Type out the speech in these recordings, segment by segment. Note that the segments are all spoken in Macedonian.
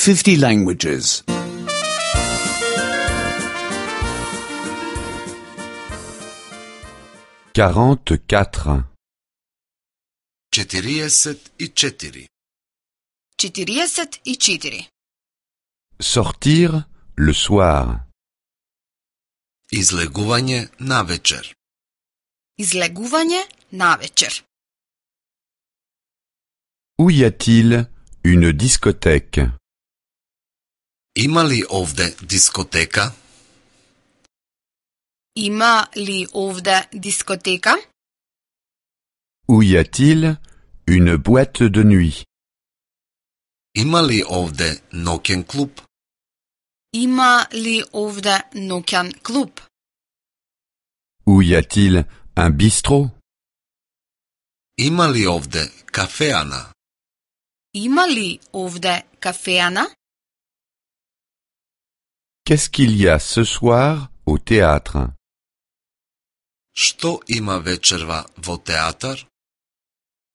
50 languages. 44. 44. 44. Sortir le soir. Излегување навечер. Излегување навечер. Où y a-t-il une discothèque? Има ли овде дискотека? Има ли овде дискотека? Où y a-t-il une boîte de nuit? Има ли овде ноќен клуб? Има ли овде ноќен клуб? Où y a-t-il un bistrot? Има ли овде кафеана? Има ли овде кафеана? Qu'est-ce qu'il y a ce soir au théâtre? Што има вечерва во театар?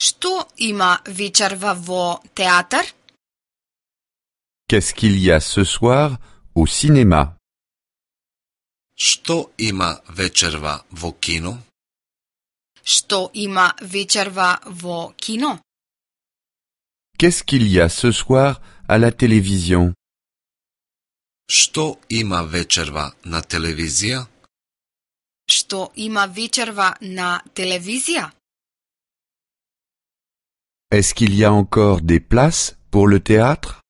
Што има вечерва во театар? Qu'est-ce qu'il y a ce soir au cinéma? Што има вечерва во кино? Што има вечерва во кино? Qu'est-ce qu'il y a ce soir à la télévision? Што има вечерва на телевизија? Што има вечерва на телевизија? Est-ce qu'il y a encore des places pour le théâtre?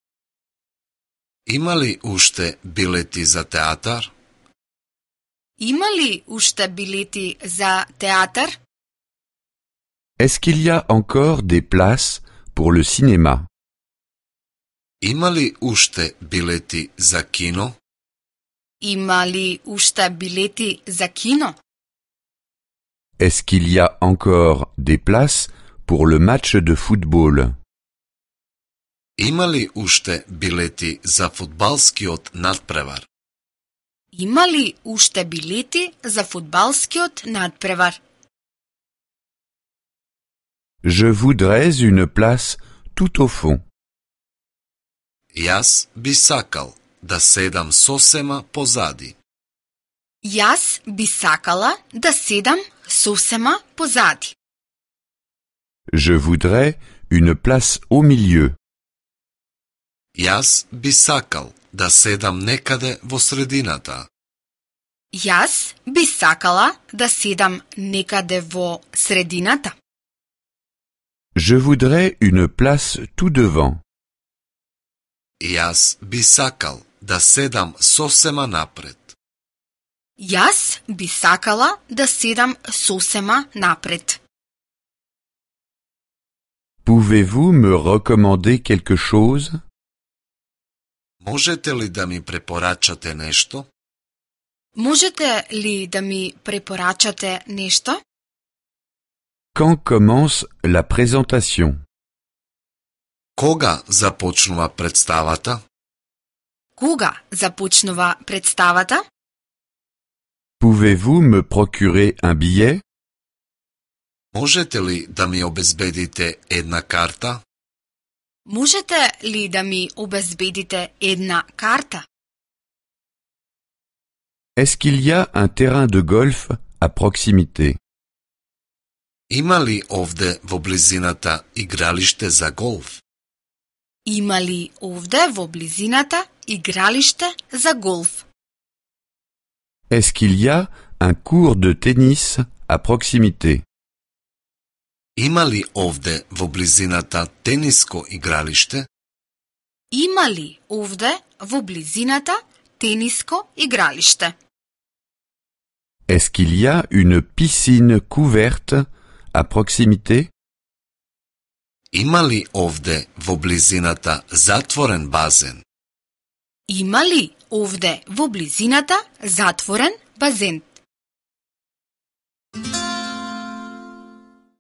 Има ли уште билети за театар? Има ли уште билети за театар? Est-ce qu'il y a encore des places pour le cinéma? Има ли уште билети за кино? Има ли уште билети за кино? Est-ce qu'il y a encore des places pour le match de football? Има ли уште билети за фудбалскиот надпревар? Има ли уште билети за фудбалскиот надпревар? Je voudrais une place tout au fond. Јас би сакал да седам сосема позади. Јас би сакала да седам сосема позади. Je voudrais une place au milieu. Јас би сакал да седам некаде во средината. Јас би сакала да седам некаде во средината. Je voudrais une place tout devant. Јас би сакал да седам сосема напред. Јас би сакала да седам сосема напред. Pouvez-vous me recommander quelque chose? Можете ли да ми препорачате нешто? Можете ли да ми препорачате нешто? Quand commence la présentation? Кога започнува представата? Кога започнува представата? Pouvez-vous me procurer un billet? Можете ли да ми обезбедите една карта? Можете ли да ми обезбедите една карта? Est-ce qu'il y a un terrain de golf à proximité? Има ли овде во близината игралиште за голф? Има ли овде во близината игралиште за голф? Est-ce qu'il y a un court de tennis à proximité? Има ли овде во близината тениско игралиште? Има ли овде во близината тениско игралиште? Est-ce qu'il y a une piscine couverte à proximité? Има ли овде во близината затворен базен? Има ли овде во близината затворен базен?